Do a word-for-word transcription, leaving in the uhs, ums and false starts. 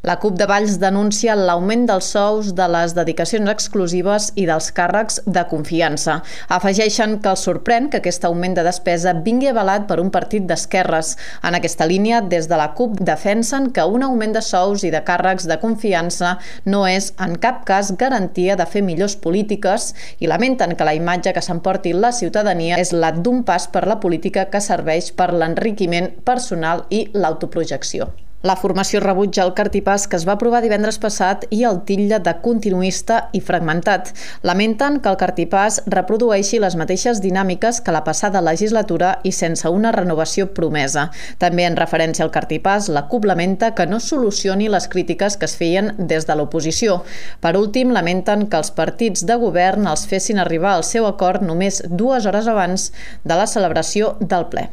La CUP de Valls denuncia l'augment dels sous, de les dedicacions exclusives i dels càrrecs de confiança. Afegeixen que els sorprèn que aquest augment de despesa vingui avalat per un partit d'esquerres. En aquesta línia, des de la CUP defensen que un augment de sous i de càrrecs de confiança no és en cap cas garantia de fer millors polítiques i lamenten que la imatge que s'emporti la ciutadania és la d'un pas per la política que serveix per l'enriquiment personal i l'autoprojecció. La formació rebutja el cartipàs que es va aprovar divendres passat i el titlla de continuista i fragmentat. Lamenten que el cartipàs reprodueixi les mateixes dinàmiques que la passada legislatura i sense una renovació promesa. També en referència al cartipàs, la CUP lamenta que no solucioni les crítiques que es feien des de l'oposició. Per últim, lamenten que els partits de govern els fessin arribar al seu acord només dues hores abans de la celebració del ple.